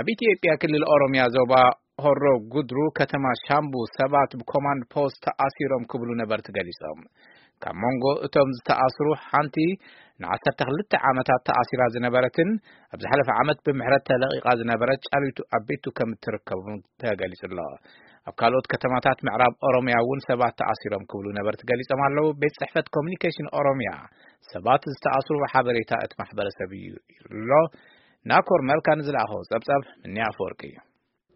ኣብ ኢትዮጵያ ክልል ኦሮሚያ ዞባ ሆሮ ጉድሩ ከተማ ሻምቡ ሰባት ብኮማንድ ፖስት ተኣሲሮም ክብሉ ነበርቲ ገሊጾም። ካብ መንጎ እቶም ዝተኣስሩ ሓንቲ ንዓሰርተ ክልተ ዓመታት ተኣሲራ ዝነበረትን ኣብ ዝሓለፈ ዓመት ብምሕረት ተለቒቓ ዝነበረት ጫሊቱ ኣቤቱ ከም እትርከቡ ተገሊጹ ኣሎ። ኣብ ካልኦት ከተማታት ምዕራብ ኦሮሚያ እውን ሰባት ተኣሲሮም ክብሉ ነበርቲ ገሊጾም ኣለዉ። ቤት ጽሕፈት ኮሚኒኬሽን ኦሮሚያ ሰባት ዝተኣስሩ ሓበሬታ እቲ ማሕበረሰብ እዩ ኣሎ። ናኮር መልካ ንዝለኣኸዎ ጸብጻብ ምንያ ኣፈወርቂ እዩ።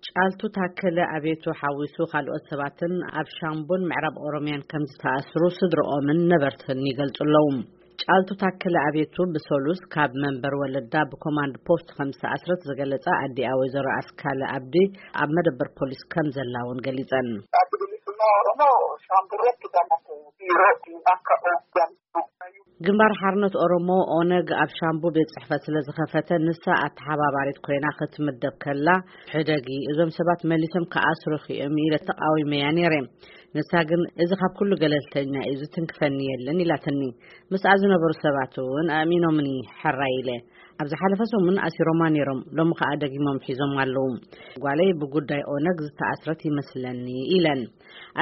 ጫልቱ ታከለ ኣቤቱ ሓዊሱ ካልኦት ሰባትን ኣብ ሻምቡን ምዕራብ ኦሮሚያን ከም ዝተኣስሩ ስድርኦምን ነበርትን ይገልጹ ኣለዉ። ጫልቱ ታከለ ኣቤቱ ብሰሉስ ካብ መንበር ወለዳ ብኮማንድ ፖስት ከም ዝተኣስረት ዝገለጻ ኣዲኣ ወይዘሮ ኣስካለ ኣብዲ ኣብ መደበር ፖሊስ ከም ዘላ እውን ገሊጸን። ግንባር ሓርነት ኦሮሞ ኦነግ ኣብ ሻምቡ ቤት ጽሕፈት ስለ ዝኸፈተ ንሳ ኣተሓባባሪት ኮይና ክትምደብ ከላ ሕደጊ እዞም ሰባት መሊሶም ክኣስሩኺ እዮም ኢለ ተቃዊመያ ነይረ። ንሳ ግን እዚ ካብ ኩሉ ገለልተኛ እዩ ዝትንክፈኒ የለን ኢላትኒ። ምስኣ ዝነበሩ ሰባት እውን ኣእሚኖምኒ ሕራይ ኢለ። ኣብ ዝሓለፈ ሰሙን ኣሲሮማ ነይሮም፣ ሎሚ ከኣ ደጊሞም ሒዞም ኣለዉ። ጓለይ ብጉዳይ ኦነግ ዝተኣስረት ይመስለኒ ኢለን።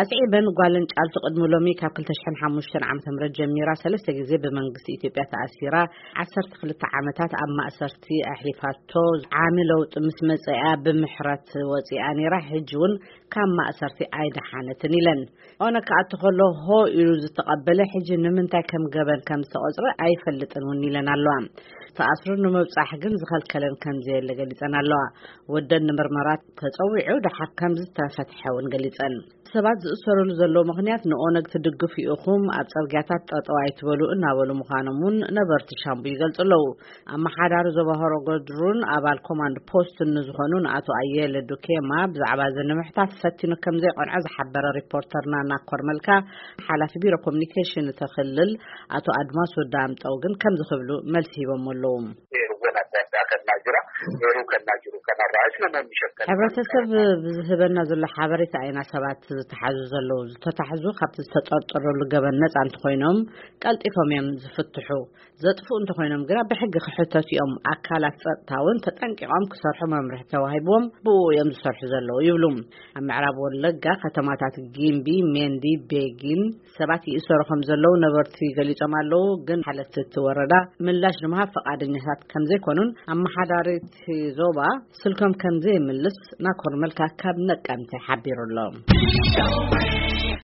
ኣስዒበን ጓለን ጫልቱ ቅድሚ ሎሚ ካብ ክልተ ሽሕን ሓሙሽተን ዓመተ ምህረት ጀሚራ ሰለስተ ግዜ ብመንግስቲ ኢትዮጵያ ተኣሲራ ዓሰርተ ክልተ ዓመታት ኣብ ማእሰርቲ ኣሕሊፋቶ ዓሚ ለውጢ ምስ መጸኣ ብምሕረት ወጺኣ ነይራ። ሕጂ እውን ካብ ማእሰርቲ ኣይደሓነትን ኢለን። ኦነግ ክኣቱ ከሎ ሆ ኢሉ ዝተቐበለ ሕጂ ንምንታይ ከም ገበን ከም ዝተቖጽረ ኣይፈልጥን እውን ኢለን ኣለዋ። ተኣስሩ ንምብጻሕ ግን ዝኸልከለን ከም ዘየለ ገሊጸን ኣለዋ። ወደን ንምርመራ ተጸዊዑ ደሓር ከም ዝተፈትሐ እውን ገሊጸን። ሰባት ዝእሰሩሉ ዘለዉ ምኽንያት ንኦነግ ትድግፉ ኢኹም፣ ኣብ ጽርግያታት ጠጠው ኣይትበሉ እናበሉ ምዃኖም እውን ነበርቲ ሻምቡ ይገልጹ ኣለዉ። ኣመሓዳሪ ዞባ ሆሮ ጉድሩን ኣባል ኮማንድ ፖስትን ንዝኾኑ ንኣቶ ኣየለ ዱኬማ ብዛዕባ እዚ ንምሕታት ፈቲኑ ከም ዘይቐንዖ ዝሓበረ ሪፖርተርና ናኮር መልካ፣ ሓላፊ ቢሮ ኮሚኒኬሽን እቲ ክልል ኣቶ ኣድማሱ ዳምጠው ግን ከምዚ ክብሉ መልሲ ሂቦም ኣለዉ። ሕብረተሰብ ብዝህበና ዘሎ ሓበሬታ ኢና ሰባት ዝተሓዙ ዘለዉ። ዝተታሕዙ ካብቲ ዝተጠርጠረሉ ገበን ነጻ እንተኾይኖም ቀልጢፎም እዮም ዝፍትሑ። ዘጥፍኡ እንተኾይኖም ግና ብሕጊ ክሕተቱ እዮም። ኣካላት ጸጥታ እውን ተጠንቂቖም ክሰርሑ መምርሒ ተዋሂብዎም ብኡ እዮም ዝሰርሑ ዘለዉ ይብሉ። ኣብ ምዕራብ ወለጋ ከተማታት ጊምቢ፣ ሜንዲ፣ ቤጊን ሰባት ይእሰሩ ከም ዘለዉ ነበርቲ ገሊጾም ኣለዉ። ግን ሓለፍቲ እቲ ወረዳ ምላሽ ንምሃብ ፈቓደኛታት ከም ዘይኮኑን ኣመሓዳሪ እቲ ዞባ ስልኮም ከም ዘይምልስ ናኮር መልካ ካብ ነቀምተ ሓቢሩ ኣሎ።